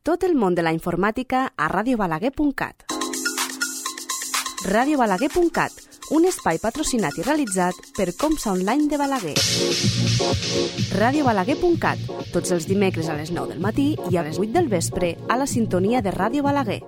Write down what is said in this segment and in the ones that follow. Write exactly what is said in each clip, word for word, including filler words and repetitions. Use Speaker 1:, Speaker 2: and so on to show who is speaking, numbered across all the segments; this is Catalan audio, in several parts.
Speaker 1: Tot el món de la informàtica a radio balaguer punt cat. radio balaguer punt cat, un espai patrocinat i realitzat per Comsa Online de Balaguer. radio balaguer punt cat, tots els dimecres a les nou del matí i a les vuit del vespre a la sintonia de Ràdio Balaguer.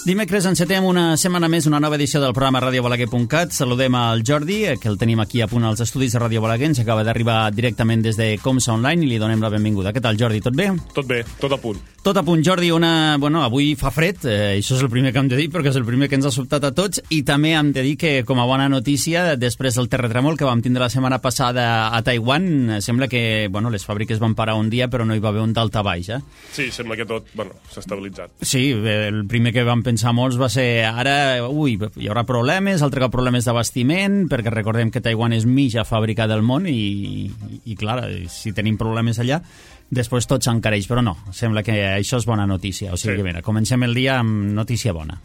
Speaker 2: Dimecres encetem una setmana més una nova edició del programa radio balaguer punt cat. Saludem al Jordi, que el tenim aquí a punt als estudis de Ràdio Balaguer. Ens acaba d'arribar directament des de Comsa Online i li donem la benvinguda. Què tal, Jordi? Tot bé?
Speaker 3: Tot bé, tot a punt.
Speaker 2: Tot a punt, Jordi. Una... Bueno, avui fa fred, eh, això és el primer que hem de dir, perquè és el primer que ens ha sobtat a tots, i també hem de dir que, com a bona notícia, després del terratrèmol que vam tindre la setmana passada a Taiwan, sembla que, bueno, les fàbriques van parar un dia, però no hi va haver un daltabaix, eh?
Speaker 3: Sí, sembla que tot, bueno, s'ha estabilitzat.
Speaker 2: Sí, el primer que vam pensar molts va ser ara, ui, hi haurà problemes, altre cop problemes d'abastiment, perquè recordem que Taiwan és mitja fàbrica del món i, i, i clar, si tenim problemes allà, després tot s'encareix, però no, sembla que això és bona notícia, o sigui sí. que mira, comencem el dia amb notícia bona.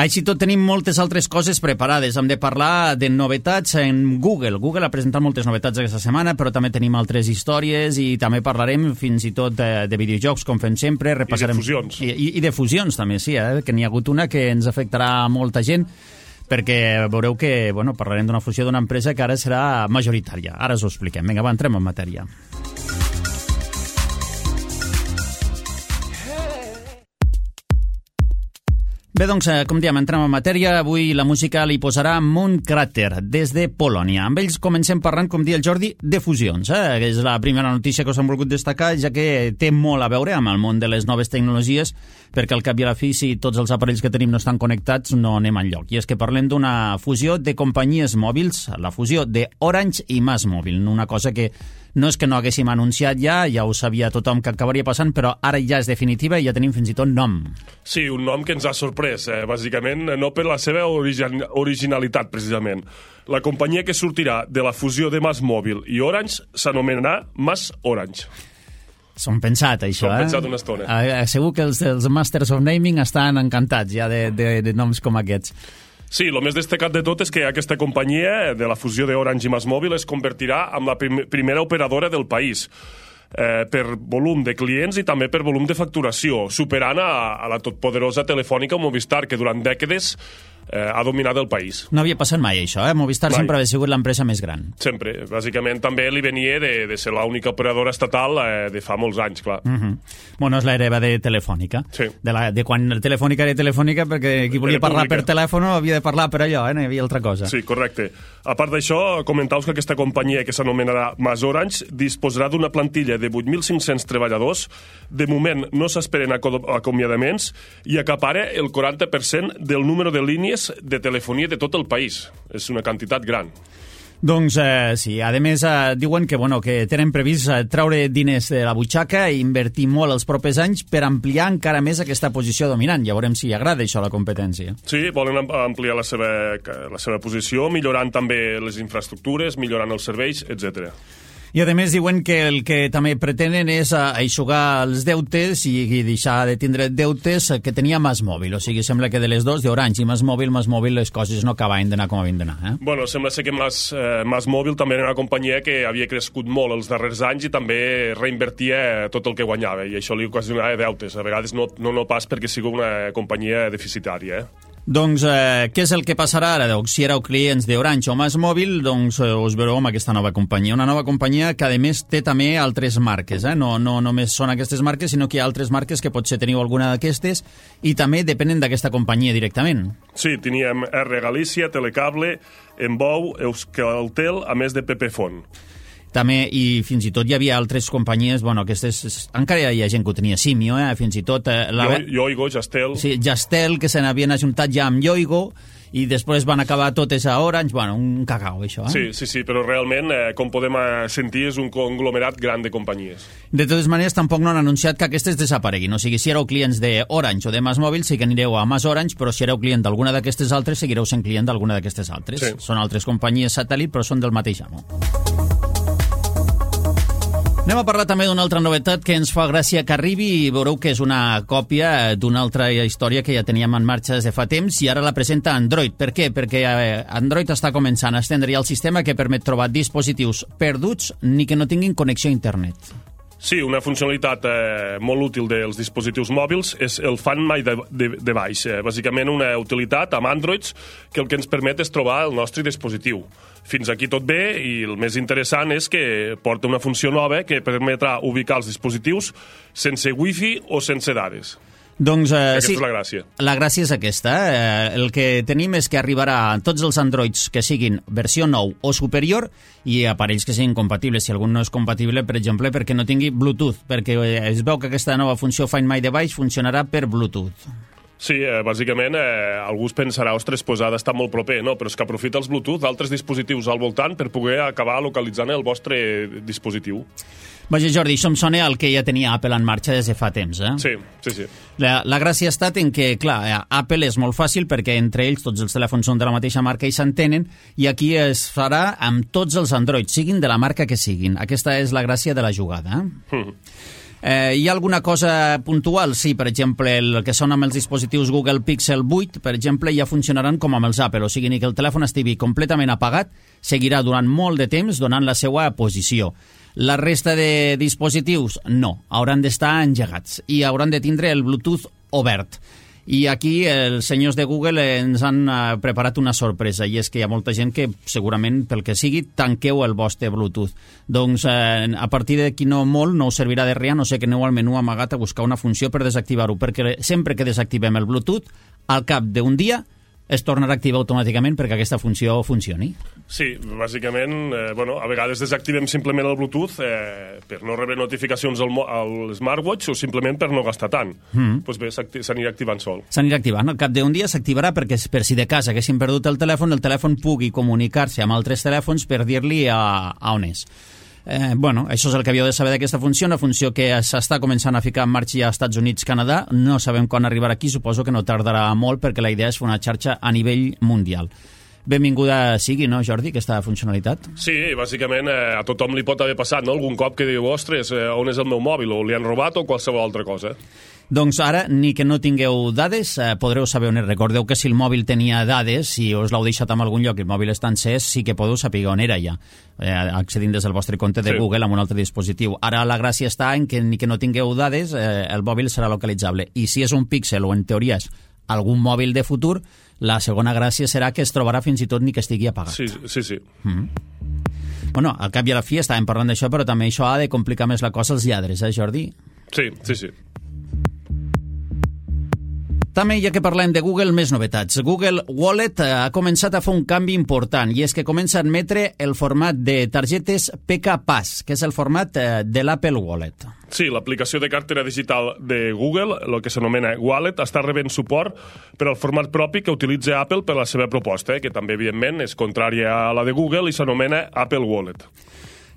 Speaker 2: Així tot tenim moltes altres coses preparades. Hem de parlar de novetats en Google. Google ha presentat moltes novetats aquesta setmana, però també tenim altres històries i també parlarem fins i tot de, de videojocs, com fem sempre. Repassarem...
Speaker 3: I de fusions.
Speaker 2: I, i, i de fusions també, sí, eh? Que n'hi ha hagut una que ens afectarà a molta gent, perquè veureu que bueno, parlarem d'una fusió d'una empresa que ara serà majoritària. Ara us ho expliquem. Vinga, va, entrem en matèria. Bé, doncs, com diem, entrem en matèria. Avui la música li posarà Mooncrater, des de Polònia. Amb ells comencem parlant, com dia el Jordi, de fusions. Eh? És la primera notícia que us hem volgut destacar, ja que té molt a veure amb el món de les noves tecnologies, perquè al cap i a la fi, si tots els aparells que tenim no estan connectats, no anem enlloc. I és que parlem d'una fusió de companyies mòbils, la fusió de Orange i MásMóvil, una cosa que no és que no haguéssim anunciat ja, ja ho sabia tothom que acabaria passant, però ara ja és definitiva i ja tenim fins i tot nom.
Speaker 3: Sí, un nom que ens ha sorprès, eh? Bàsicament, no per la seva origin originalitat, precisament. La companyia que sortirà de la fusió de MásMóvil i Orange s'anomenarà MásOrange.
Speaker 2: S'ho han pensat, això,
Speaker 3: eh? S'ho han pensat una estona.
Speaker 2: Eh, segur que els, els Masters of Naming estan encantats ja de, de, de noms com aquests.
Speaker 3: Sí, el més destacat de tot és que aquesta companyia de la fusió d'Orange i MásMóvil es convertirà en la prim primera operadora del país eh, per volum de clients i també per volum de facturació, superant a, a la totpoderosa Telefònica o Movistar, que durant dècades eh, ha dominat el país.
Speaker 2: No havia passat mai això, eh? Movistar mai. Sempre havia sigut l'empresa més gran.
Speaker 3: Sempre. Bàsicament també li venia de, de ser l'única operadora estatal eh, de fa molts anys, clar.
Speaker 2: Uh -huh. Bueno, és l'hereva de Telefònica.
Speaker 3: Sí.
Speaker 2: De, la, de quan Telefònica era Telefònica, perquè qui volia parlar per telèfon havia de parlar per allò, eh? No hi havia altra cosa.
Speaker 3: Sí, correcte. A part d'això, comentaus que aquesta companyia, que s'anomenarà MásOrange, disposarà d'una plantilla de vuit mil cinc-cents treballadors. De moment no s'esperen acomiadaments i acapara el quaranta per cent del número de línies de telefonia de tot el país. És una quantitat gran.
Speaker 2: Doncs eh, sí, a més eh, diuen que, bueno, que tenen previst eh, treure diners de la butxaca i invertir molt els propers anys per ampliar encara més aquesta posició dominant. Ja veurem si agrada això a la competència.
Speaker 3: Sí, volen ampliar la seva, la seva posició, millorant també les infraestructures, millorant els serveis, etcètera.
Speaker 2: I a més diuen que el que també pretenen és eixugar els deutes i, i deixar de tindre deutes que tenia MásMóvil. O sigui, sembla que de les dos, d'Orange i MásMóvil, MásMóvil les coses no acabaven d'anar com havien d'anar. Eh?
Speaker 3: Bueno, sembla ser que Más, eh, MásMóvil també era una companyia que havia crescut molt els darrers anys i també reinvertia tot el que guanyava i això li ocasionava deutes. A vegades no, no, no pas perquè sigui una companyia deficitària, eh?
Speaker 2: Doncs eh, què és el que passarà ara? Doncs, si éreu clients d'Orange o MásMóvil, doncs eh, us veureu amb aquesta nova companyia. Una nova companyia que, a més, té també altres marques. Eh? No, no només són aquestes marques, sinó que hi ha altres marques que potser teniu alguna d'aquestes i també depenen d'aquesta companyia directament.
Speaker 3: Sí, teníem R Galícia, Telecable, Embou, Euskaltel, a més de Pepefon.
Speaker 2: També, i fins i tot hi havia altres companyies, bueno, aquestes, encara hi ha gent que ho tenia, Simio, eh, fins i tot... Eh, la...
Speaker 3: Yo, Yoigo, Jastel...
Speaker 2: Sí, Jastel, que se n'havien ajuntat ja amb Yoigo, i després van acabar totes a Orange, bueno, un cacau, això, eh?
Speaker 3: Sí, sí, sí, però realment, eh, com podem sentir, és un conglomerat gran de companyies.
Speaker 2: De totes maneres, tampoc no han anunciat que aquestes desapareguin, o sigui, si éreu clients d'Orange o de MásMóvil, sí que anireu a MásOrange, però si éreu client d'alguna d'aquestes altres, seguireu sent client d'alguna d'aquestes altres. Sí. Són altres companyies satèl·lit, però són del mateix amo. Anem a parlar també d'una altra novetat que ens fa gràcia que arribi i veureu que és una còpia d'una altra història que ja teníem en marxa des de fa temps i ara la presenta Android. Per què? Perquè Android està començant a estendre ja el sistema que permet trobar dispositius perduts ni que no tinguin connexió a internet.
Speaker 3: Sí, una funcionalitat eh, molt útil dels dispositius mòbils és el Find My Device. Eh, bàsicament una utilitat amb Androids que el que ens permet és trobar el nostre dispositiu. Fins aquí tot bé i el més interessant és que porta una funció nova que permetrà ubicar els dispositius sense wifi o sense dades.
Speaker 2: Doncs, eh,
Speaker 3: aquesta
Speaker 2: sí,
Speaker 3: és la gràcia.
Speaker 2: La gràcia és aquesta. Eh, el que tenim és que arribarà a tots els Androids que siguin versió nou o superior i aparells que siguin compatibles. Si algun no és compatible, per exemple, perquè no tingui Bluetooth, perquè es veu que aquesta nova funció Find My Device funcionarà per Bluetooth.
Speaker 3: Sí, eh, bàsicament eh, algú es pensarà, ostres, pues ha d'estar molt proper, no? Però és que aprofita els Bluetooth d'altres dispositius al voltant per poder acabar localitzant el vostre dispositiu.
Speaker 2: Vaja, Jordi, això em sona al que ja tenia Apple en marxa des de fa temps, eh?
Speaker 3: Sí, sí, sí.
Speaker 2: La, la gràcia ha estat en que, clar, Apple és molt fàcil perquè entre ells tots els telèfons són de la mateixa marca i s'entenen, i aquí es farà amb tots els Android, siguin de la marca que siguin. Aquesta és la gràcia de la jugada. Eh? Mm. Eh, hi ha alguna cosa puntual? Sí, per exemple, el que són amb els dispositius Google Pixel vuit, per exemple, ja funcionaran com amb els Apple, o sigui, ni que el telèfon estigui completament apagat, seguirà durant molt de temps donant la seva posició. La resta de dispositius, no, hauran d'estar engegats i hauran de tindre el Bluetooth obert. I aquí els senyors de Google ens han preparat una sorpresa, i és que hi ha molta gent que segurament, pel que sigui, tanqueu el vostre Bluetooth. Doncs eh, a partir d'aquí no molt no us servirà de res, no sé que aneu al menú amagat a buscar una funció per desactivar-ho, perquè sempre que desactivem el Bluetooth, al cap d'un dia es tornarà a activar automàticament perquè aquesta funció funcioni.
Speaker 3: Sí, bàsicament, eh, bueno, a vegades desactivem simplement el Bluetooth eh, per no rebre notificacions al, al smartwatch o simplement per no gastar tant. Mm. Pues bé, s'anirà activant sol.
Speaker 2: S'anirà activant. Al cap d'un dia s'activarà perquè per si de cas haguéssim perdut el telèfon, el telèfon pugui comunicar-se amb altres telèfons per dir-li a, a on és. Eh, bueno, això és el que havíeu de saber d'aquesta funció, una funció que s'està començant a ficar en marxa als Estats Units, Canadà. No sabem quan arribarà aquí, suposo que no tardarà molt perquè la idea és fer una xarxa a nivell mundial. Benvinguda sigui, no, Jordi, aquesta funcionalitat?
Speaker 3: Sí, bàsicament eh, a tothom li pot haver passat, no? Algun cop que diu, ostres, eh, on és el meu mòbil? O li han robat o qualsevol altra cosa.
Speaker 2: Doncs ara, ni que no tingueu dades, eh, podreu saber on és. Recordeu que si el mòbil tenia dades, si us l'heu deixat en algun lloc i el mòbil està encès, sí que podeu saber on era ja, eh, accedint des del vostre compte de sí. Google amb un altre dispositiu. Ara la gràcia està en que ni que no tingueu dades, eh, el mòbil serà localitzable. I si és un Pixel o en teoria és algun mòbil de futur, la segona gràcia serà que es trobarà fins i tot ni que estigui apagat.
Speaker 3: Sí, sí, sí.
Speaker 2: Mm-hmm. Bueno, al cap i a la fi estàvem parlant d'això, però també això ha de complicar més la cosa als lladres, eh, Jordi?
Speaker 3: Sí, sí, sí.
Speaker 2: També, ja que parlem de Google, més novetats. Google Wallet ha començat a fer un canvi important, i és que comença a admetre el format de targetes P K Pass, que és el format de l'Apple Wallet.
Speaker 3: Sí, l'aplicació de cartera digital de Google, el que s'anomena Wallet, està rebent suport per al format propi que utilitza Apple per la seva proposta, eh, que també, evidentment, és contrària a la de Google i s'anomena Apple Wallet.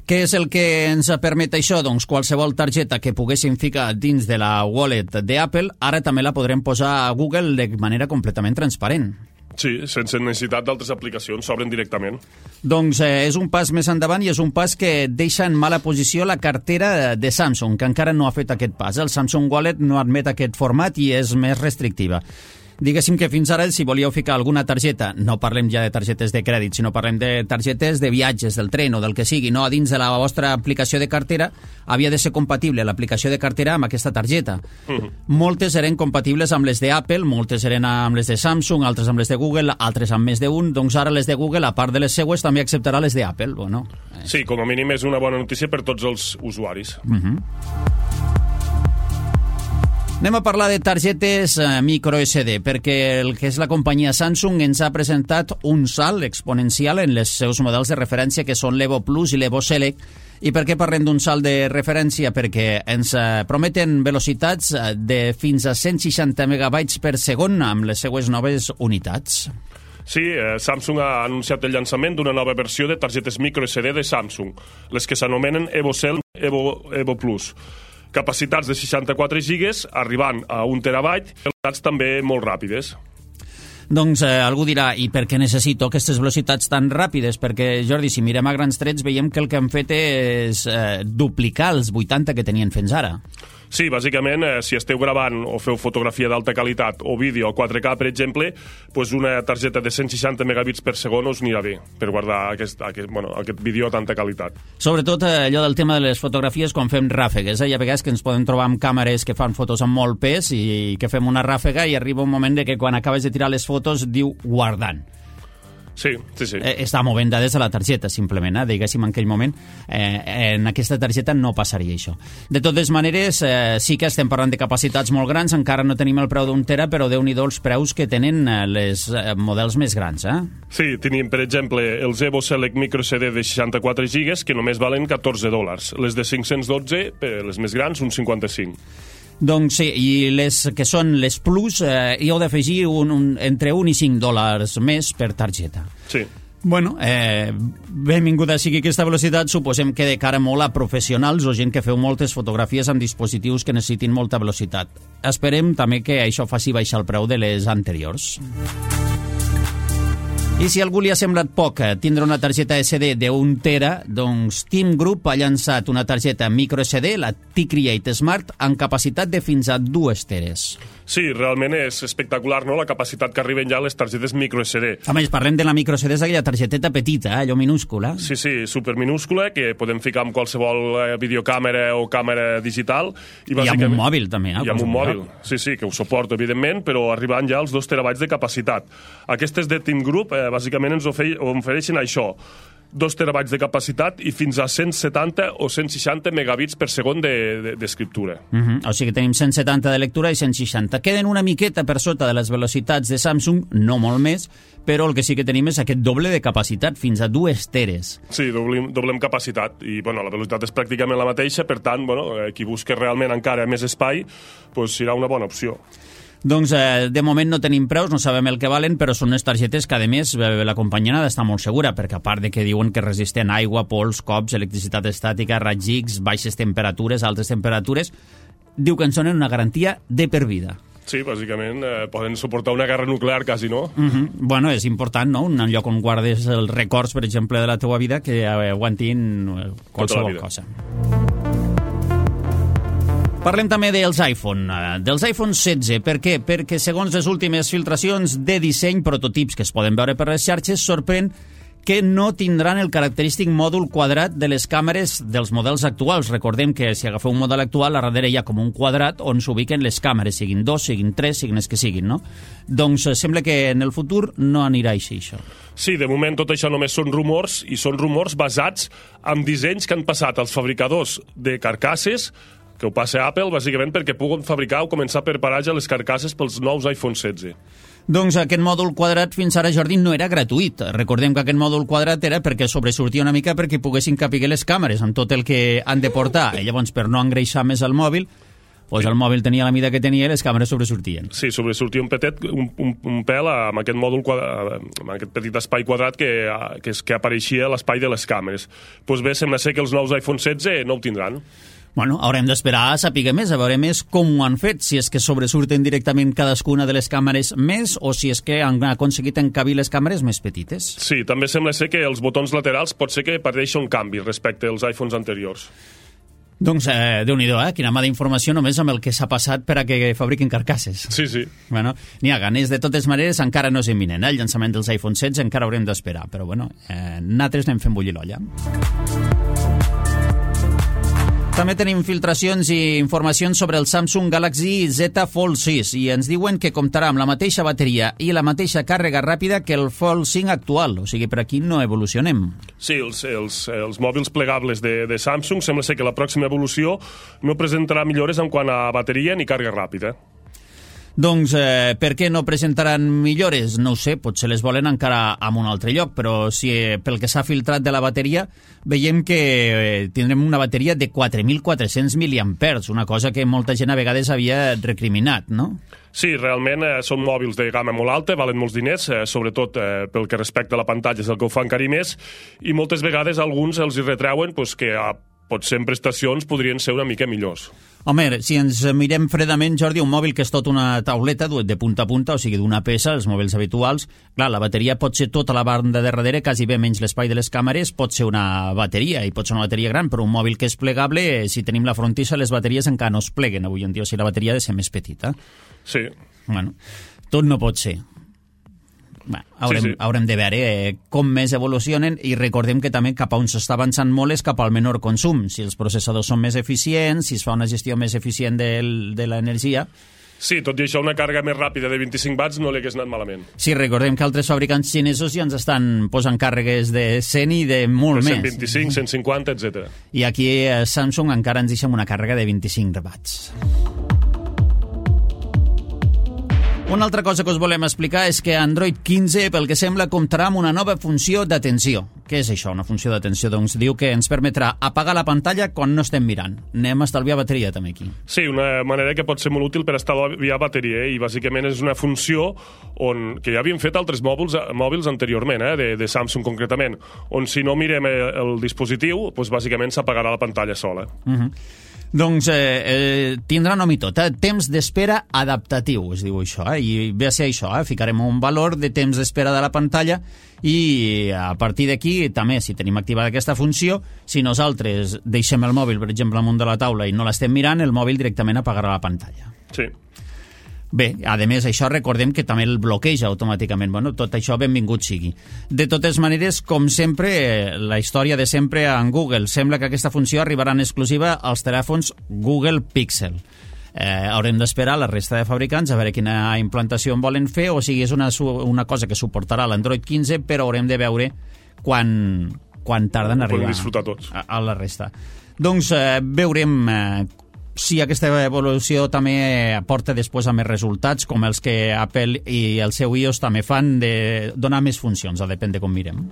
Speaker 2: Què és el que ens permet això? Doncs qualsevol targeta que poguéssim ficar dins de la wallet d'Apple, ara també la podrem posar a Google de manera completament transparent.
Speaker 3: Sí, sense necessitat d'altres aplicacions, s'obren directament.
Speaker 2: Doncs eh, és un pas més endavant i és un pas que deixa en mala posició la cartera de Samsung, que encara no ha fet aquest pas. El Samsung Wallet no admet aquest format i és més restrictiva. Diguéssim que fins ara, si volíeu ficar alguna targeta, no parlem ja de targetes de crèdit, sinó parlem de targetes de viatges, del tren o del que sigui, no a dins de la vostra aplicació de cartera, havia de ser compatible l'aplicació de cartera amb aquesta targeta. Uh-huh. Moltes eren compatibles amb les d'Apple, moltes eren amb les de Samsung, altres amb les de Google, altres amb més d'un, doncs ara les de Google, a part de les seues, també acceptarà les d'Apple, o no?
Speaker 3: Sí, com a mínim és una bona notícia per tots els usuaris.
Speaker 2: Uh-huh. Anem a parlar de targetes eh, micro S D, perquè el que és la companyia Samsung ens ha presentat un salt exponencial en els seus models de referència, que són l'Evo Plus i l'Evo Select. I per què parlem d'un salt de referència? Perquè ens eh, prometen velocitats de fins a cent seixanta megabytes per segon amb les seues noves unitats.
Speaker 3: Sí, eh, Samsung ha anunciat el llançament d'una nova versió de targetes micro S D de Samsung, les que s'anomenen Evo Cell Evo, Evo Plus. Capacitats de seixanta-quatre gigas, arribant a un terabyte, velocitats també molt ràpides.
Speaker 2: Doncs eh, algú dirà, i per què necessito aquestes velocitats tan ràpides? Perquè, Jordi, si mirem a grans trets, veiem que el que han fet és eh, duplicar els vuitanta que tenien fins ara.
Speaker 3: Sí, bàsicament, eh, si esteu gravant o feu fotografia d'alta qualitat o vídeo quatre K, per exemple, pues una targeta de cent seixanta megabits per segon us anirà bé per guardar aquest, aquest, bueno, aquest vídeo a tanta qualitat.
Speaker 2: Sobretot eh, allò del tema de les fotografies quan fem ràfegues. Eh? Hi ha vegades que ens podem trobar amb càmeres que fan fotos amb molt pes i que fem una ràfega i arriba un moment de que quan acabes de tirar les fotos diu guardant.
Speaker 3: Sí, sí, sí.
Speaker 2: Eh, està movent dades a la targeta, simplement, eh? Diguéssim, en aquell moment, eh, en aquesta targeta no passaria això. De totes maneres, eh, sí que estem parlant de capacitats molt grans, encara no tenim el preu d'un tera, però Déu-n'hi-do els preus que tenen eh, les eh, models més grans, eh?
Speaker 3: Sí, tenim, per exemple, els Evo Select Micro C D de seixanta-quatre gigas, que només valen catorze dòlars. Les de cinc-cents dotze, les més grans, uns cinquanta-cinc.
Speaker 2: Doncs sí, i les que són les Plus, eh, hi heu d'afegir un, un, entre un i cinc dòlars més per targeta.
Speaker 3: Sí.
Speaker 2: Bueno, eh, benvinguda sigui aquesta velocitat, suposem que de cara molt a professionals o gent que feu moltes fotografies amb dispositius que necessitin molta velocitat. Esperem també que això faci baixar el preu de les anteriors. I si a algú li ha semblat poc tindre una targeta esse de d'un tera, doncs Team Group ha llançat una targeta micro esse de, la T-Create Smart, amb capacitat de fins a dues teres.
Speaker 3: Sí, realment és espectacular, no?, la capacitat que arriben ja les targetes micro esse de.
Speaker 2: A més, parlem de la micro esse de, és aquella targeteta petita, eh? Allò minúscula.
Speaker 3: Sí, sí, superminúscula, que podem ficar amb qualsevol videocàmera o càmera digital.
Speaker 2: I, I amb un mòbil, també. Eh?
Speaker 3: I amb un mòbil, sí, sí, que ho suporta, evidentment, però arribant ja als dos terabytes de capacitat. Aquestes de Team Group, eh, bàsicament ens ofereixen això, dos terabytes de capacitat i fins a cent setanta o cent seixanta megabits per segon d'escriptura. De, de,
Speaker 2: uh -huh. O sigui que tenim cent setanta de lectura i cent seixanta. Queden una miqueta per sota de les velocitats de Samsung, no molt més, però el que sí que tenim és aquest doble de capacitat, fins a dues teres.
Speaker 3: Sí, doblem, doblem capacitat, i bueno, la velocitat és pràcticament la mateixa, per tant, bueno, qui busca realment encara més espai, pues, serà una bona opció.
Speaker 2: Doncs eh, de moment no tenim preus, no sabem el que valen, però són unes targetes que, a més, la companyia n'ha d'estar molt segura, perquè a part de que diuen que resisten aigua, pols, cops, electricitat estàtica, raigs X, baixes temperatures, altes temperatures, diu que en són una garantia de per vida.
Speaker 3: Sí, bàsicament eh, poden suportar una guerra nuclear, quasi, no?
Speaker 2: Uh -huh. Bueno, és important, no?, un lloc on guardes els records, per exemple, de la teua vida, que aguantin qualsevol cosa. Parlem també dels iPhone, dels iPhone setze. Per què? Perquè segons les últimes filtracions de disseny, prototips que es poden veure per les xarxes, sorprèn que no tindran el característic mòdul quadrat de les càmeres dels models actuals. Recordem que si agafeu un model actual, a darrere hi ha com un quadrat on s'ubiquen les càmeres, siguin dos, siguin tres, siguin les que siguin, no? Doncs sembla que en el futur no anirà així, això.
Speaker 3: Sí, de moment tot això només són rumors, i són rumors basats en dissenys que han passat als fabricadors de carcasses, que ho passa a Apple, bàsicament perquè puguen fabricar o començar a preparar ja les carcasses pels nous iPhone setze.
Speaker 2: Doncs aquest mòdul quadrat fins ara, Jordi, no era gratuït. Recordem que aquest mòdul quadrat era perquè sobresortia una mica perquè poguessin capiguer les càmeres amb tot el que han de portar. I llavors, per no engreixar més el mòbil, doncs el mòbil tenia la mida que tenia i les càmeres sobresortien.
Speaker 3: Sí, sobresortia un petet, un, un, un pèl amb aquest mòdul quadrat, amb aquest petit espai quadrat que, que, que apareixia a l'espai de les càmeres. Doncs bé, sembla ser que els nous iPhone setze no ho tindran.
Speaker 2: Bueno, haurem d'esperar a saber més, a veure més com ho han fet, si és que sobresurten directament cadascuna de les càmeres més o si és que han aconseguit encabir les càmeres més petites.
Speaker 3: Sí, també sembla ser que els botons laterals pot ser que pateixi un canvi respecte als iPhones anteriors.
Speaker 2: Doncs, eh, Déu-n'hi-do, eh? Quina mà d'informació només amb el que s'ha passat per a que fabriquin carcasses.
Speaker 3: Sí, sí.
Speaker 2: Bueno, n'hi ha ganes. De totes maneres, encara no és imminent, eh? El llançament dels iPhone setze encara haurem d'esperar, però bueno, eh, nosaltres anem fent bullir l'olla. També tenim filtracions i informacions sobre el Samsung Galaxy Z Fold sis i ens diuen que comptarà amb la mateixa bateria i la mateixa càrrega ràpida que el Fold cinc actual, o sigui, per aquí no evolucionem.
Speaker 3: Sí, els, els, els mòbils plegables de, de Samsung sembla ser que la pròxima evolució no presentarà millores en quant a bateria ni càrrega ràpida.
Speaker 2: Doncs eh, per què no presentaran millores? No ho sé, potser les volen encara en un altre lloc, però si eh, pel que s'ha filtrat de la bateria veiem que eh, tindrem una bateria de quatre mil quatre-cents miliampers, una cosa que molta gent a vegades havia recriminat, no?
Speaker 3: Sí, realment eh, són mòbils de gamma molt alta, valen molts diners, eh, sobretot eh, pel que respecta a la pantalla és el que ho fa encara més, i moltes vegades alguns els hi retreuen pues, que a potser en prestacions podrien ser una mica millors.
Speaker 2: Home, si ens mirem fredament, Jordi, un mòbil que és tot una tauleta de punta a punta, o sigui, d'una peça, els mòbils habituals, clar, la bateria pot ser tota la banda de darrere, quasi bé menys l'espai de les càmeres, pot ser una bateria, i pot ser una bateria gran, però un mòbil que és plegable, si tenim la frontissa, les bateries encara no es pleguen avui en dia, o sigui, la bateria ha de ser més petita.
Speaker 3: Sí.
Speaker 2: Bueno, tot no pot ser. Bé, haurem, sí, sí. haurem de veure eh, com més evolucionen, i recordem que també cap a on s'està avançant molt és cap al menor consum. Si els processadors són més eficients, si es fa una gestió més eficient del, de l'energia...
Speaker 3: Sí, tot i això, una càrrega més ràpida de vint-i-cinc watts no li hagués anat malament.
Speaker 2: Sí, recordem que altres fabricants xinesos ja ens estan posant càrregues de cent i de molt
Speaker 3: de
Speaker 2: més.
Speaker 3: cent vint-i-cinc, cent cinquanta, etcètera.
Speaker 2: I aquí a Samsung encara ens deixem una càrrega de vint-i-cinc watts. Una altra cosa que us volem explicar és que Android quinze, pel que sembla, comptarà amb una nova funció d'atenció. Què és això, una funció d'atenció? Doncs diu que ens permetrà apagar la pantalla quan no estem mirant. Anem a estalviar bateria, també, aquí.
Speaker 3: Sí, una manera que pot ser molt útil per estalviar bateria, eh? I bàsicament és una funció on, que ja havien fet altres mòbils, mòbils anteriorment, eh? de, de Samsung concretament, on si no mirem el, el dispositiu, doncs bàsicament s'apagarà la pantalla sola.
Speaker 2: Uh-huh. Doncs eh, eh, tindrà nom i tot, eh? Temps d'espera adaptatiu, es diu això, eh? I ve a ser això, eh? Ficarem un valor de temps d'espera de la pantalla i a partir d'aquí, també, si tenim activada aquesta funció, si nosaltres deixem el mòbil, per exemple, amunt de la taula i no l'estem mirant, el mòbil directament apagarà la pantalla.
Speaker 3: Sí.
Speaker 2: Bé, a més, això recordem que també el bloqueja automàticament. Bueno, tot això benvingut sigui. De totes maneres, com sempre, la història de sempre en Google. Sembla que aquesta funció arribarà en exclusiva als telèfons Google Pixel. Eh, haurem d'esperar la resta de fabricants a veure quina implantació en volen fer, o sigui, és una, una cosa que suportarà l'Android quinze, però haurem de veure quan, quan tarden a arribar
Speaker 3: tots.
Speaker 2: A, a la resta. Doncs eh, veurem eh, si aquesta evolució també aporta després a més resultats, com els que Apple i el seu iOS també fan, de donar més funcions, depèn de com mirem.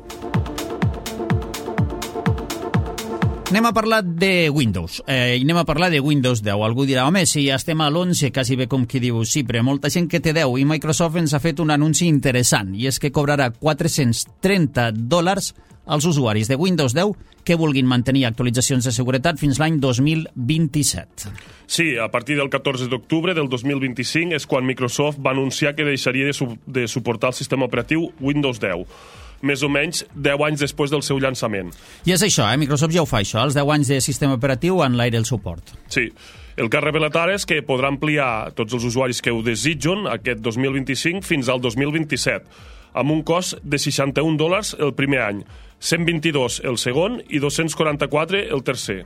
Speaker 2: Anem a parlar de Windows, eh, i anem a parlar de Windows deu. Algú dirà, home, si ja estem a l'onze, quasi bé com qui diu, sí, però molta gent que té deu, i Microsoft ens ha fet un anunci interessant, i és que cobrarà quatre-cents trenta dòlars als usuaris de Windows deu que vulguin mantenir actualitzacions de seguretat fins l'any dos mil vint-i-set.
Speaker 3: Sí, a partir del catorze d'octubre del dos mil vint-i-cinc és quan Microsoft va anunciar que deixaria de, su de suportar el sistema operatiu Windows deu, més o menys deu anys després del seu llançament.
Speaker 2: I és això, eh? Microsoft ja ho fa, això, els deu anys de sistema operatiu en l'aire el suport.
Speaker 3: Sí. El que ha revelat ara és que podrà ampliar tots els usuaris que ho desitgen aquest dos mil vint-i-cinc fins al dos mil vint-i-set, amb un cost de seixanta-un dòlars el primer any, cent vint-i-dos el segon i dos-cents quaranta-quatre el tercer.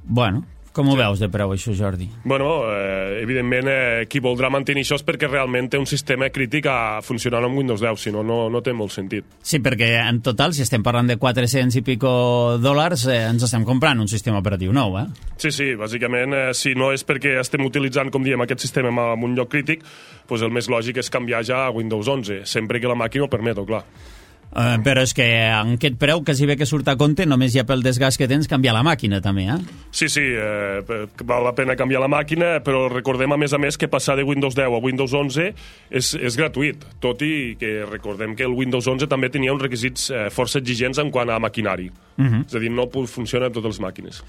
Speaker 2: Bueno, com ho
Speaker 3: sí.
Speaker 2: veus de preu, això, Jordi?
Speaker 3: Bueno, eh, evidentment, eh, qui voldrà mantenir això és perquè realment té un sistema crític a funcionar amb Windows deu, si no, no, no té molt sentit.
Speaker 2: Sí, perquè en total, si estem parlant de quatre-cents i pico dòlars, eh, ens estem comprant un sistema operatiu nou, eh?
Speaker 3: Sí, sí, bàsicament, eh, si no és perquè estem utilitzant, com diem, aquest sistema en un lloc crític, doncs el més lògic és canviar ja a Windows onze, sempre que la màquina ho permeto, clar.
Speaker 2: Uh, però és que en aquest preu quasi bé que surt a compte, només ja pel desgast que tens, canviar la màquina també, eh?
Speaker 3: Sí, sí, eh, val la pena canviar la màquina, però recordem a més a més que passar de Windows deu a Windows onze és, és gratuït, tot i que recordem que el Windows onze també tenia uns requisits eh, força exigents en quant a maquinari. Uh-huh. És a dir, no funciona en totes les màquines.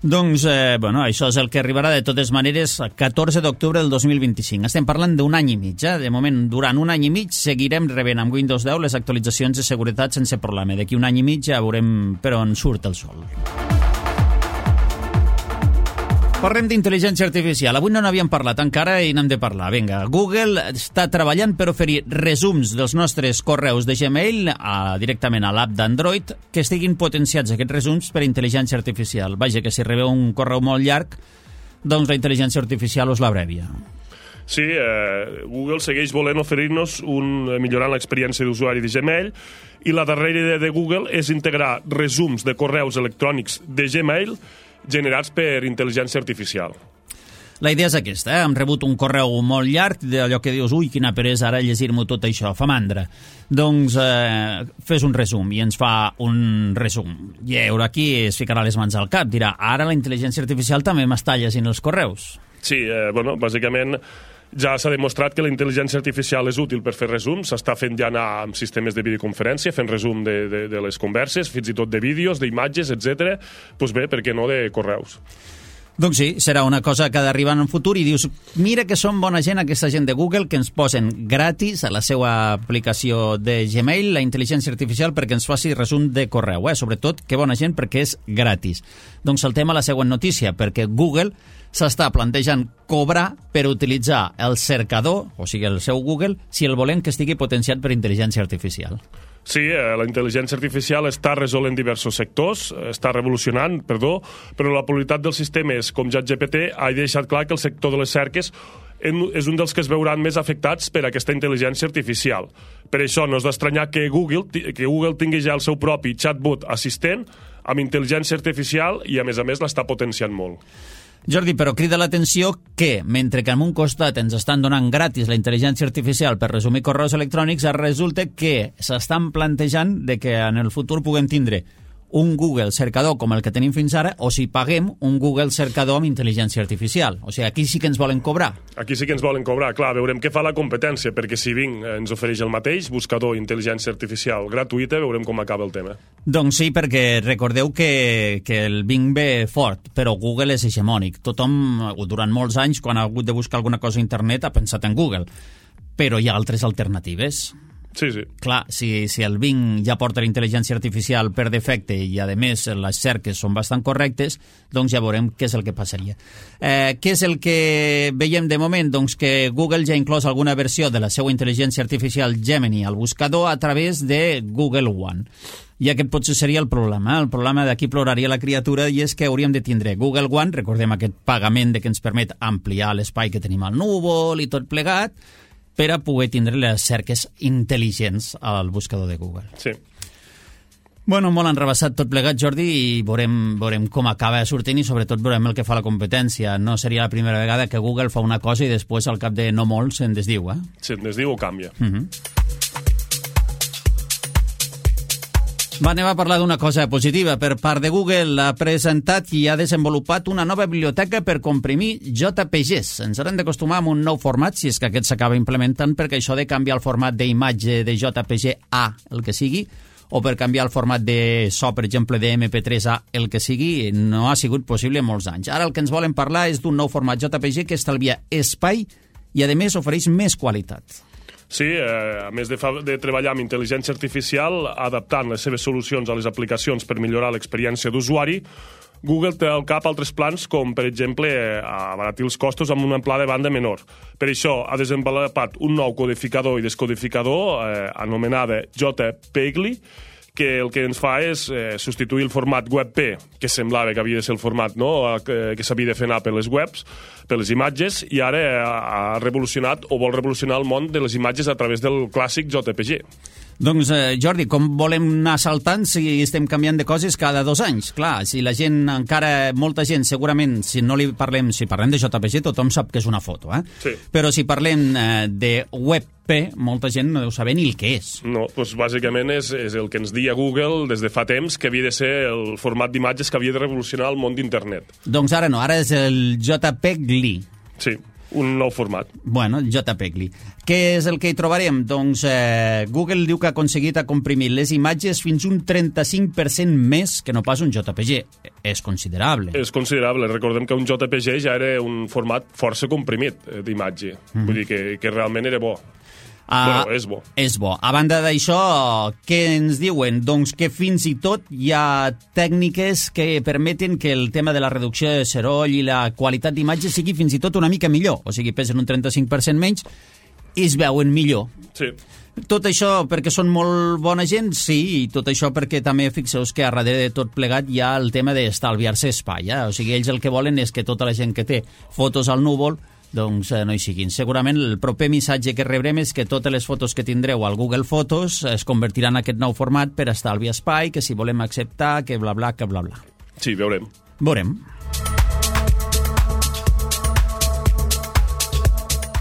Speaker 2: Doncs, eh, bueno, això és el que arribarà de totes maneres catorze d'octubre del dos mil vint-i-cinc. Estem parlant d'un any i mig, eh? De moment, durant un any i mig seguirem rebent amb Windows deu les actualitzacions de seguretat sense problema. D'aquí un any i mig ja veurem per on surt el sol. Parlem d'intel·ligència artificial. Avui no n'havíem parlat encara i n'hem de parlar. Vinga, Google està treballant per oferir resums dels nostres correus de Gmail a, directament a l'app d'Android que estiguin potenciats aquests resums per intel·ligència artificial. Vaja, que si rebeu un correu molt llarg, doncs la intel·ligència artificial us l'abrevia.
Speaker 3: Sí, eh, Google segueix volent oferir-nos un, millorant l'experiència d'usuari de Gmail, i la darrera idea de Google és integrar resums de correus electrònics de Gmail generats per intel·ligència artificial.
Speaker 2: La idea és aquesta, eh? Hem rebut un correu molt llarg d'allò que dius, ui, quina peresa ara llegir-m'ho tot això, fa mandra. Doncs eh, fes un resum i ens fa un resum. I ara aquí es ficarà les mans al cap, dirà, ara la intel·ligència artificial també m'està llegint els correus.
Speaker 3: Sí, eh, bueno, bàsicament Ja s'ha demostrat que la intel·ligència artificial és útil per fer resums, s'està fent ja anar amb sistemes de videoconferència, fent resum de, de, de les converses, fins i tot de vídeos, d'imatges, etcètera. Doncs bé, per què no de correus?
Speaker 2: Doncs sí, serà una cosa que ha d'arribar en un futur i dius, mira que són bona gent aquesta gent de Google que ens posen gratis a la seva aplicació de Gmail la intel·ligència artificial perquè ens faci resum de correu, eh? Sobretot, que bona gent perquè és gratis. Doncs saltem a la següent notícia, perquè Google s'està plantejant cobrar per utilitzar el cercador, o sigui, el seu Google, si el volem que estigui potenciat per intel·ligència artificial.
Speaker 3: Sí, eh, la intel·ligència artificial està resolent diversos sectors, està revolucionant, perdó, però la qualitat dels sistemes com ChatGPT ha deixat clar que el sector de les cerques és un dels que es veuran més afectats per aquesta intel·ligència artificial. Per això no és d'estranyar que Google, que Google tingui ja el seu propi chatbot assistent amb intel·ligència artificial i, a més a més, l'està potenciant molt.
Speaker 2: Jordi, però crida l'atenció que, mentre que en un costat ens estan donant gratis la intel·ligència artificial per resumir correus electrònics, resulta que s'estan plantejant de que en el futur puguem tindre un Google cercador com el que tenim fins ara, o si paguem un Google cercador amb intel·ligència artificial. O sigui, aquí sí que ens volen cobrar.
Speaker 3: Aquí sí que ens volen cobrar, clar, veurem què fa la competència, perquè si Bing ens ofereix el mateix, buscador intel·ligència artificial gratuïta, veurem com acaba el tema.
Speaker 2: Doncs sí, perquè recordeu que, que el Bing ve fort, però Google és hegemònic. Tothom, durant molts anys, quan ha hagut de buscar alguna cosa a internet, ha pensat en Google. Però hi ha altres alternatives.
Speaker 3: Sí, sí.
Speaker 2: Clar, si, si el Bing ja porta la intel·ligència artificial per defecte i, a més, les cerques són bastant correctes, doncs ja veurem què és el que passaria. Eh, què és el que veiem de moment? Doncs que Google ja ha inclòs alguna versió de la seva intel·ligència artificial Gemini al buscador a través de Google One. I aquest potser seria el problema. El problema d'aquí ploraria la criatura i és que hauríem de tindre Google One, recordem aquest pagament de que ens permet ampliar l'espai que tenim al núvol i tot plegat, per a poder tindre les cerques intel·ligents al buscador de Google.
Speaker 3: Sí.
Speaker 2: Bueno, molt enrebaçat tot plegat, Jordi, i veurem, veurem com acaba sortint i sobretot veurem el que fa la competència. No seria la primera vegada que Google fa una cosa i després, al cap de no molt, se'n desdiu, eh?
Speaker 3: Se'n desdiu o canvia.
Speaker 2: Uh-huh. Va, anem a parlar d'una cosa positiva. Per part de Google ha presentat i ha desenvolupat una nova biblioteca per comprimir J P Gs. Ens haurem d'acostumar a un nou format, si és que aquest s'acaba implementant, perquè això de canviar el format d'imatge de J P G A, el que sigui, o per canviar el format de so, per exemple, de M P tres A, el que sigui, no ha sigut possible en molts anys. Ara el que ens volen parlar és d'un nou format J P G que estalvia espai i, a més, ofereix més qualitat.
Speaker 3: Sí, eh, a més de, fa, de treballar amb intel·ligència artificial, adaptant les seves solucions a les aplicacions per millorar l'experiència d'usuari, Google té al cap altres plans com, per exemple, eh, abaratir els costos amb una amplada de banda menor. Per això ha desenvolupat un nou codificador i descodificador eh, anomenada JPEGLI, que el que ens fa és eh, substituir el format WebP, que semblava que havia de ser el format, no?, que, que s'havia de fer anar per les webs, per les imatges, i ara ha revolucionat o vol revolucionar el món de les imatges a través del clàssic J P G.
Speaker 2: Doncs, eh, Jordi, com volem anar saltant si estem canviant de coses cada dos anys? Clar, si la gent encara, molta gent, segurament, si no li parlem, si parlem de J P G, tothom sap que és una foto, eh?
Speaker 3: Sí.
Speaker 2: Però si parlem eh, de WebP, molta gent no deu saber ni el que és.
Speaker 3: No, doncs bàsicament és, és el que ens dia Google des de fa temps, que havia de ser el format d'imatges que havia de revolucionar el món d'internet.
Speaker 2: Doncs ara no, ara és el JPEGLI.
Speaker 3: Sí, un nou format.
Speaker 2: Bueno, JPEGLI. Què és el que hi trobarem? Doncs eh, Google diu que ha aconseguit a comprimir les imatges fins un trenta-cinc per cent més que no pas un J P G. És considerable.
Speaker 3: És considerable. Recordem que un J P G ja era un format força comprimit eh, d'imatge. Mm. Vull dir que, que realment era bo.
Speaker 2: Uh,
Speaker 3: bueno, és bo.
Speaker 2: És bo. A banda d'això, què ens diuen? Doncs que fins i tot hi ha tècniques que permeten que el tema de la reducció de soroll i la qualitat d'imatge sigui fins i tot una mica millor. O sigui, pesen un trenta-cinc per cent menys i es veuen millor.
Speaker 3: Sí.
Speaker 2: Tot això perquè són molt bona gent? Sí, i tot això perquè també fixeu que a darrere de tot plegat hi ha el tema d'estalviar-se espai. Eh? O sigui, ells el que volen és que tota la gent que té fotos al núvol doncs eh, no hi siguin. Segurament el proper missatge que rebrem és que totes les fotos que tindreu al Google Fotos es convertiran en aquest nou format per estalviar espai, que si volem acceptar, que bla bla, que bla bla.
Speaker 3: Sí, veurem.
Speaker 2: Veurem.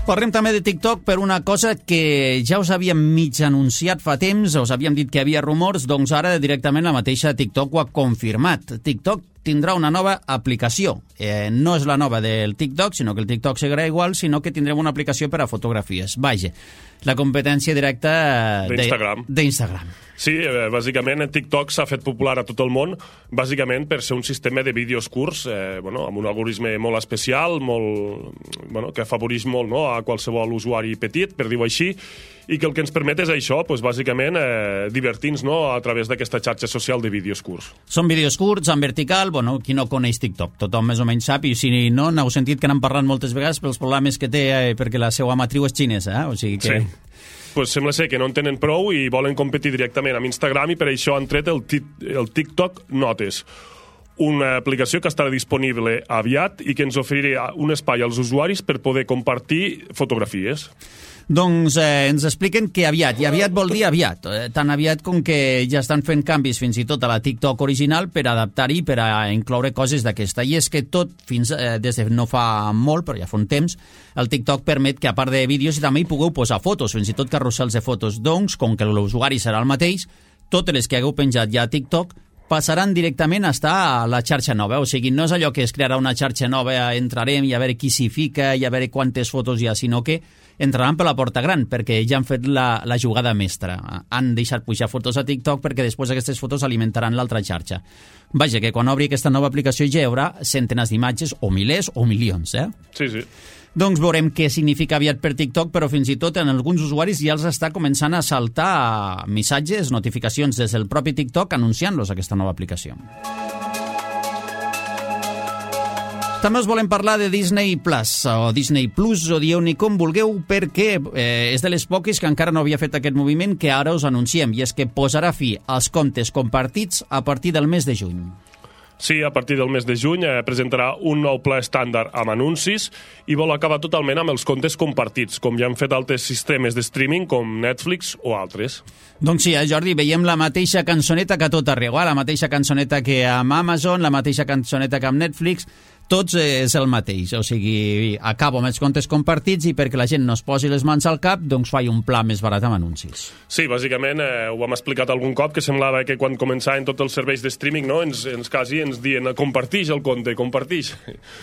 Speaker 2: Parlem també de TikTok per una cosa que ja us havíem mig anunciat fa temps, us havíem dit que hi havia rumors, doncs ara directament la mateixa TikTok ho ha confirmat. TikTok tindrà una nova aplicació. Eh, no és la nova del TikTok, sinó que el TikTok seguirà igual, sinó que tindrem una aplicació per a fotografies. Vaja, la competència directa
Speaker 3: d'Instagram.
Speaker 2: d'Instagram.
Speaker 3: Sí, eh, bàsicament TikTok s'ha fet popular a tot el món, bàsicament per ser un sistema de vídeos curts, eh, bueno, amb un algoritme molt especial, molt, bueno, que afavoreix molt, no, a qualsevol usuari petit, per dir-ho així, i que el que ens permet és això, pues, bàsicament eh, divertir-nos, no, a través d'aquesta xarxa social de vídeos curts.
Speaker 2: Són vídeos curts, en vertical, bueno, qui no coneix TikTok, tothom més o menys sap, i si no, n'heu sentit que n'han parlat moltes vegades pels problemes que té, eh, perquè la seva matriu és xinesa, eh? O sigui que...
Speaker 3: Sí. Pues sembla ser que no en tenen prou i volen competir directament amb Instagram i per això han tret el, el TikTok Notes, una aplicació que estarà disponible aviat i que ens oferirà un espai als usuaris per poder compartir fotografies.
Speaker 2: Doncs eh, ens expliquen que aviat, i aviat vol dir aviat, eh, tan aviat com que ja estan fent canvis fins i tot a la TikTok original per adaptar-hi, per a incloure coses d'aquesta. I és que tot, fins eh, des de no fa molt, però ja fa un temps, el TikTok permet que a part de vídeos també hi pugueu posar fotos, fins i tot carrusels de fotos. Doncs, com que l'usuari serà el mateix, totes les que hagueu penjat ja a TikTok passaran directament a estar a la xarxa nova. O sigui, no és allò que es crearà una xarxa nova, entrarem i a veure qui s'hi fica i a veure quantes fotos hi ha, sinó que entraran per la porta gran, perquè ja han fet la, la jugada mestra. Han deixat pujar fotos a TikTok perquè després aquestes fotos alimentaran l'altra xarxa. Vaja, que quan obri aquesta nova aplicació ja hi haurà centenars d'imatges, o milers, o milions, eh?
Speaker 3: Sí, sí.
Speaker 2: Doncs veurem què significa aviat per TikTok, però fins i tot en alguns usuaris ja els està començant a saltar missatges, notificacions des del propi TikTok anunciant-los aquesta nova aplicació. També us volem parlar de Disney Plus, o Disney Plus, o dieu-ne com vulgueu, perquè eh, és de les poques que encara no havia fet aquest moviment que ara us anunciem, i és que posarà fi als comptes compartits a partir del mes de juny.
Speaker 3: Sí, a partir del mes de juny eh, presentarà un nou pla estàndard amb anuncis i vol acabar totalment amb els comptes compartits, com ja han fet altres sistemes de streaming com Netflix o altres.
Speaker 2: Doncs sí, eh, Jordi, veiem la mateixa cançoneta que a tot arreu, eh? La mateixa cançoneta que amb Amazon, la mateixa cançoneta que amb Netflix, tots és el mateix, o sigui, acabo amb els comptes compartits i perquè la gent no es posi les mans al cap, doncs faig un pla més barat amb anuncis.
Speaker 3: Sí, bàsicament, eh, ho hem explicat algun cop, que semblava que quan començaven tots els serveis de streaming, no, ens, ens quasi ens diuen compartix el compte, compartix.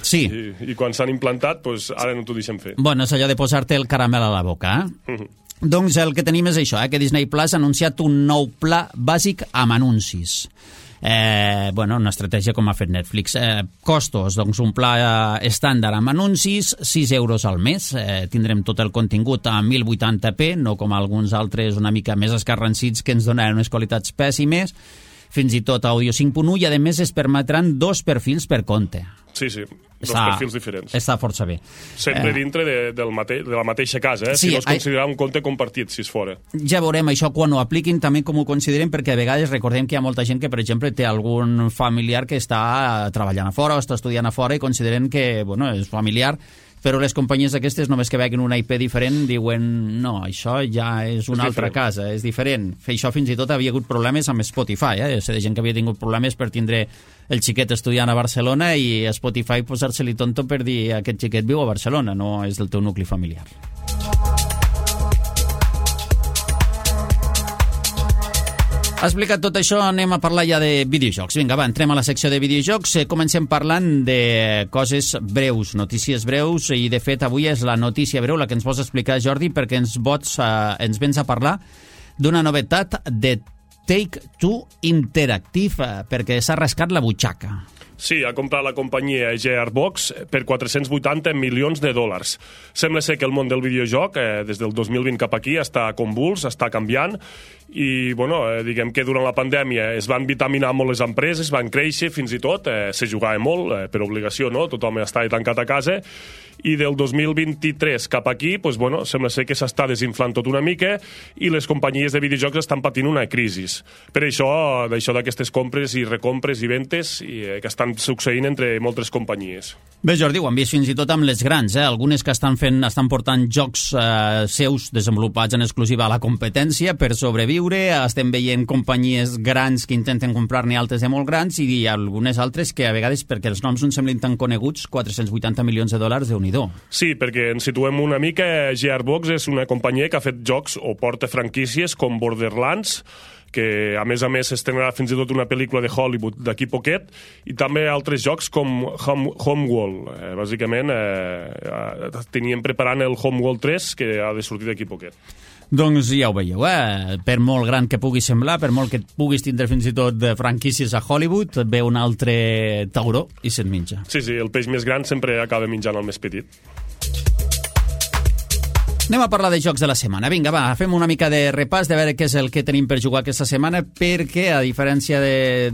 Speaker 2: Sí.
Speaker 3: I, i quan s'han implantat, doncs ara no t'ho deixem fer.
Speaker 2: Bueno, és allò de posar-te el caramel a la boca, eh? Uh -huh. Doncs el que tenim és això, eh, que Disney Plus ha anunciat un nou pla bàsic amb anuncis. Eh, bueno, una estratègia com ha fet Netflix. Eh, costos, doncs un pla eh, estàndard amb anuncis, sis euros al mes. Eh, tindrem tot el contingut a mil vuitanta p, no com alguns altres una mica més escarransits que ens donaran unes qualitats pèssimes, fins i tot àudio cinc punt u, i a més es permetran dos perfils per compte.
Speaker 3: Sí, sí, dos
Speaker 2: està,
Speaker 3: perfils diferents.
Speaker 2: Està força bé.
Speaker 3: Sempre
Speaker 2: eh,
Speaker 3: dintre de, del mate, de la mateixa casa, eh?
Speaker 2: Sí,
Speaker 3: si no es considerarà un compte compartit, si és fora.
Speaker 2: Ja veurem això quan ho apliquin, també com ho consideren, perquè a vegades recordem que hi ha molta gent que, per exemple, té algun familiar que està treballant a fora o està estudiant a fora i consideren que, bueno, és familiar, però les companyies aquestes, només que veuen un I P diferent, diuen, no, això ja és una és altra diferent. casa, és diferent. Fer això fins i tot havia hagut problemes amb Spotify, eh? Sé de gent que havia tingut problemes per tindre el xiquet estudiant a Barcelona i a Spotify posar-se-li tonto per dir aquest xiquet viu a Barcelona, no és del teu nucli familiar. Ha explicat tot això, anem a parlar ja de videojocs. Vinga, va, entrem a la secció de videojocs. Comencem parlant de coses breus, notícies breus, i de fet avui és la notícia breu la que ens vols explicar, Jordi, perquè ens, vots, eh, ens vens a parlar d'una novetat de Take-Two Interactive, perquè s'ha rascat la butxaca.
Speaker 3: Sí, ha comprat la companyia Gearbox per quatre-cents vuitanta milions de dòlars. Sembla ser que el món del videojoc, eh, des del dos mil vint cap aquí, està convuls, està canviant, i bueno, eh, diguem que durant la pandèmia es van vitaminar molt les empreses, van créixer fins i tot, eh, se jugava molt, eh, per obligació, no? Tothom estava tancat a casa, i del dos mil vint-i-tres cap aquí, pues, bueno, sembla ser que s'està desinflant tot una mica i les companyies de videojocs estan patint una crisi. Per això, d'això d'aquestes compres i recompres i ventes i, eh, que estan succeint entre moltes companyies.
Speaker 2: Bé, Jordi, ho hem vist fins i tot amb les grans, eh? Algunes que estan fent, estan portant jocs eh, seus desenvolupats en exclusiva a la competència per sobreviure. Estem veient companyies grans que intenten comprar-ne altres de molt grans i algunes altres que a vegades, perquè els noms no em semblin tan coneguts, quatre-cents vuitanta milions de dòlars, Déu-n'hi-do.
Speaker 3: Sí, perquè ens situem una mica. Gearbox és una companyia que ha fet jocs o porta franquícies com Borderlands, que a més a més s'estrenarà fins i tot una pel·lícula de Hollywood d'aquí poquet, i també altres jocs com Home, Homeworld. Eh, bàsicament, eh, teníem preparant el Homeworld tres, que ha de sortir d'aquí poquet.
Speaker 2: Doncs ja ho veieu, eh? Per molt gran que pugui semblar, per molt que puguis tindre fins i tot de franquícies a Hollywood, et ve un altre tauró i se't menja.
Speaker 3: Sí, sí, el peix més gran sempre acaba menjant el més petit.
Speaker 2: Anem a parlar de jocs de la setmana. Vinga, va, fem una mica de repàs de veure què és el que tenim per jugar aquesta setmana, perquè, a diferència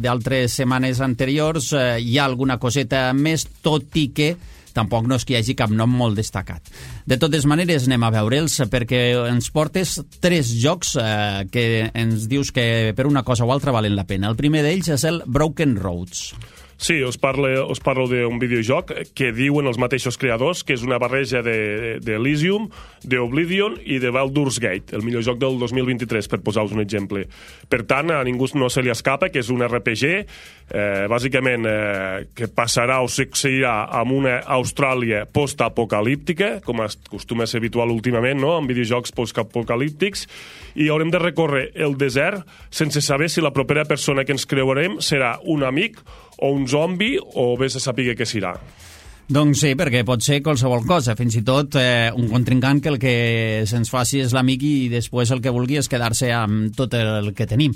Speaker 2: d'altres setmanes anteriors, eh, hi ha alguna coseta més, tot i que tampoc no és que hi hagi cap nom molt destacat. De totes maneres, anem a veure'ls, perquè ens portes tres jocs eh, que ens dius que per una cosa o altra valen la pena. El primer d'ells és el Broken Roads.
Speaker 3: Sí, us parlo, us parlo d'un videojoc que diuen els mateixos creadors que és una barreja d'Elysium, de, d'Oblivion i de Baldur's Gate, el millor joc del dos mil vint-i-tres, per posar-vos un exemple. Per tant, a ningú no se li escapa que és un R P G, eh, bàsicament, eh, que passarà o succeirà en una Austràlia post-apocalíptica, com acostuma a ser habitual últimament, no?, en videojocs post-apocalíptics, i haurem de recórrer el desert sense saber si la propera persona que ens creurem serà un amic o un zombi, o bé se sàpiga què serà.
Speaker 2: Doncs sí, perquè pot ser qualsevol cosa, fins i tot eh, un contrincant que el que se'ns faci és l'amic i després el que vulgui és quedar-se amb tot el que tenim.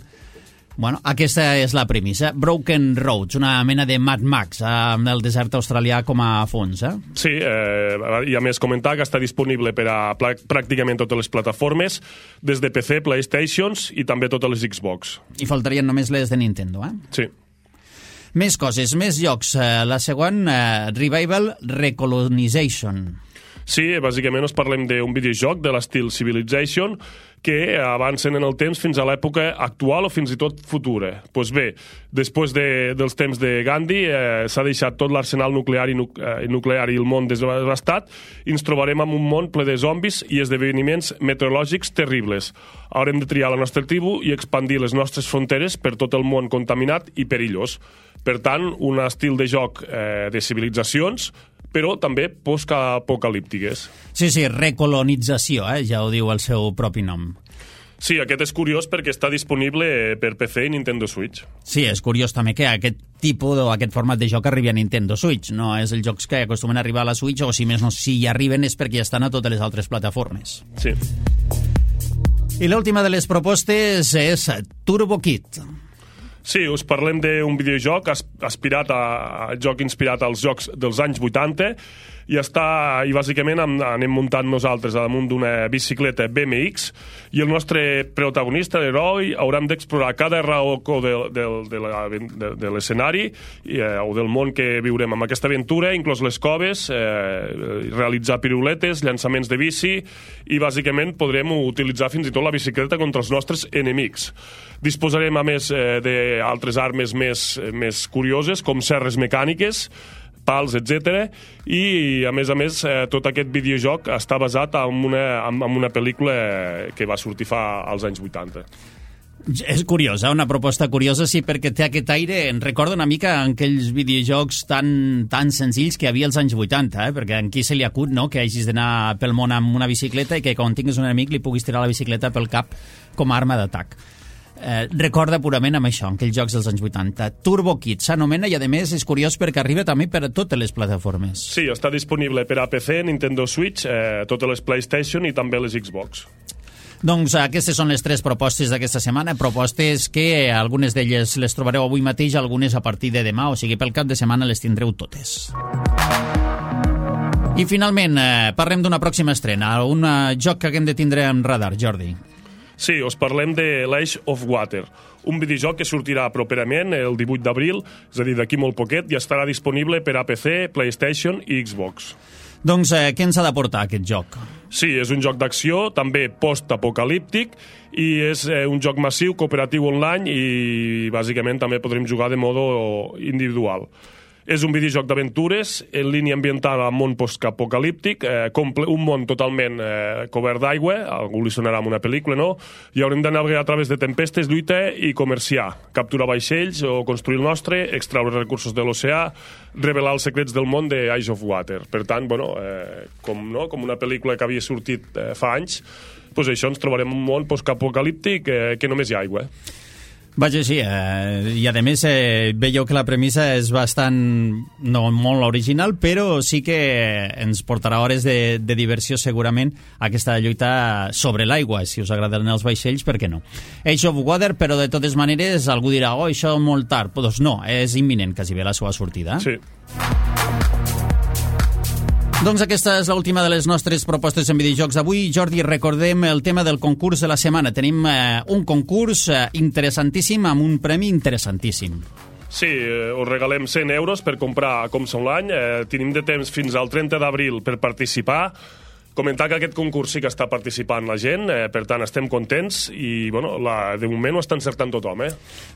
Speaker 2: Bueno, aquesta és la premissa. Broken Roads, una mena de Mad Max amb el desert australià com a fons, eh?
Speaker 3: Sí, eh, i a més comentar que està disponible per a pràcticament totes les plataformes, des de P C, PlayStations i també totes les Xbox.
Speaker 2: I faltarien només les de Nintendo, eh?
Speaker 3: Sí.
Speaker 2: Més coses, més jocs. La següent, uh, Revival Recolonization.
Speaker 3: Sí, bàsicament us parlem d'un videojoc de l'estil Civilization que avancen en el temps fins a l'època actual o fins i tot futura. Doncs pues bé, després de, dels temps de Gandhi eh, s'ha deixat tot l'arsenal nuclear i, nu, eh, nuclear i el món desbastat, i ens trobarem en un món ple de zombis i esdeveniments meteorològics terribles. Haurem de triar la nostra tribu i expandir les nostres fronteres per tot el món contaminat i perillós. Per tant, un estil de joc eh, de civilitzacions, però també post-apocalíptiques.
Speaker 2: Sí, sí, recolonització, eh? Ja ho diu el seu propi nom.
Speaker 3: Sí, aquest és curiós perquè està disponible per P C i Nintendo Switch.
Speaker 2: Sí, és curiós també que aquest tipus o aquest format de joc arribi a Nintendo Switch. No és els jocs que acostumen a arribar a la Switch, o si més no, si hi arriben és perquè ja estan a totes les altres plataformes.
Speaker 3: Sí.
Speaker 2: I l'última de les propostes és Turbo Kid.
Speaker 3: Sí, us parlem d'un videojoc aspirat a, a joc inspirat als jocs dels anys vuitanta, i està, i bàsicament anem muntant nosaltres damunt d'una bicicleta B M X, i el nostre protagonista, l'heroi, haurem d'explorar cada racó de, de, de, la, de, de l'escenari eh, o del món que viurem amb aquesta aventura, inclòs les coves, eh, realitzar piruletes, llançaments de bici, i bàsicament podrem utilitzar fins i tot la bicicleta contra els nostres enemics. Disposarem, a més, eh, d'altres armes més, més curioses, com serres mecàniques, pals, etcètera, i a més a més eh, tot aquest videojoc està basat en una, en, en una pel·lícula que va sortir fa als anys vuitanta.
Speaker 2: És curiosa, una proposta curiosa, sí, perquè té aquest aire, em recorda una mica en aquells videojocs tan, tan senzills que hi havia als anys vuitanta, eh? Perquè en qui se li acut, no?, que hagis d'anar pel món amb una bicicleta i que quan tinguis un enemic li puguis tirar la bicicleta pel cap com a arma d'atac. Eh, recorda purament amb això, en aquells jocs dels anys vuitanta. Turbo Kid s'anomena, i a més és curiós perquè arriba també per a totes les plataformes.
Speaker 3: Sí, està disponible per a P C, Nintendo Switch, eh, totes les PlayStation i també les Xbox.
Speaker 2: Doncs aquestes són les tres propostes d'aquesta setmana, propostes que algunes d'elles les trobareu avui mateix, algunes a partir de demà, o sigui, pel cap de setmana les tindreu totes. I finalment, eh, parlem d'una pròxima estrena, un joc que haguem de tindre en radar, Jordi.
Speaker 3: Sí, us parlem de l'Age of Water, un videojoc que sortirà properament el divuit d'abril, és a dir, d'aquí molt poquet, i estarà disponible per a P C, PlayStation i Xbox.
Speaker 2: Doncs eh, què ens ha d'aportar aquest joc?
Speaker 3: Sí, és un joc d'acció, també post-apocalíptic, i és eh, un joc massiu, cooperatiu online, i bàsicament també podrem jugar de modo individual. És un videojoc d'aventures en línia ambiental al món post-apocalíptic, eh, un món totalment eh, cobert d'aigua, algú li sonarà amb una pel·lícula, no? I haurem de navegar a través de tempestes, lluita i comerciar, capturar vaixells o construir el nostre, extraure recursos de l'oceà, revelar els secrets del món de Age of Water. Per tant, bueno, eh, com, no? com una pel·lícula que havia sortit eh, fa anys, doncs això, ens trobarem un món post-apocalíptic eh, que només hi ha aigua.
Speaker 2: Vaja, sí, eh, i a més eh, veieu que la premissa és bastant, no molt original, però sí que ens portarà hores de, de diversió segurament aquesta lluita sobre l'aigua. Si us agraden els vaixells, per què no? Age of Water, però de totes maneres algú dirà, oh, això molt tard. Doncs no, és imminent quasi bé la seva sortida.
Speaker 3: Sí.
Speaker 2: Doncs aquesta és l'última de les nostres propostes en videojocs d'avui. Jordi, recordem el tema del concurs de la setmana. Tenim eh, un concurs eh, interessantíssim amb un premi interessantíssim.
Speaker 3: Sí, eh, us regalem cent euros per comprar a Comsa Online. Eh, tenim de temps fins al trenta d'abril per participar. Comentar que aquest concurs sí que està participant la gent, eh, per tant estem contents i bueno, la, de moment ho està encertant tothom. Eh?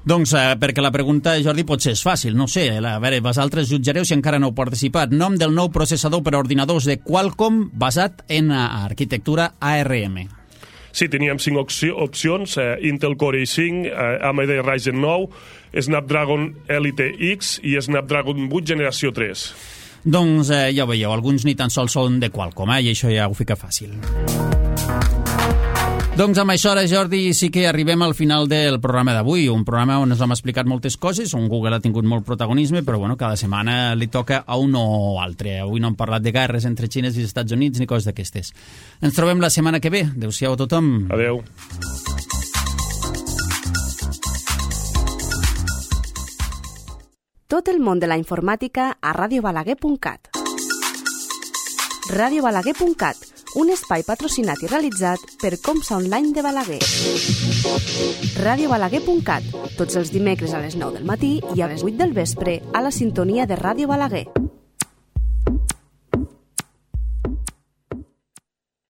Speaker 2: Doncs eh, perquè la pregunta, Jordi, potser és fàcil, no sé, a veure, vosaltres jutjareu si encara no heu participat. Nom del nou processador per a ordinadors de Qualcomm basat en arquitectura A R M.
Speaker 3: Sí, teníem cinc opcions, eh, Intel Core i cinc, eh, A M D Ryzen nou, Snapdragon Elite X i Snapdragon vuit generació tres.
Speaker 2: Doncs eh, ja ho veieu, alguns ni tan sols són de Qualcomm, eh, i això ja ho fica fàcil. Doncs amb això, ara, Jordi, sí que arribem al final del programa d'avui, un programa on ens hem explicat moltes coses, on Google ha tingut molt protagonisme, però bueno, cada setmana li toca a un o altre. Avui no hem parlat de guerres entre Xina i els Estats Units ni coses d'aquestes. Ens trobem la setmana que ve. Adéu-siau a tothom.
Speaker 3: Adéu.
Speaker 1: Tot el món de la informàtica a radio balaguer punt cat. radio balaguer punt cat, un espai patrocinat i realitzat per Comsa Online de Balaguer. radio balaguer punt cat, tots els dimecres a les nou del matí i a les vuit del vespre a la sintonia de Ràdio Balaguer.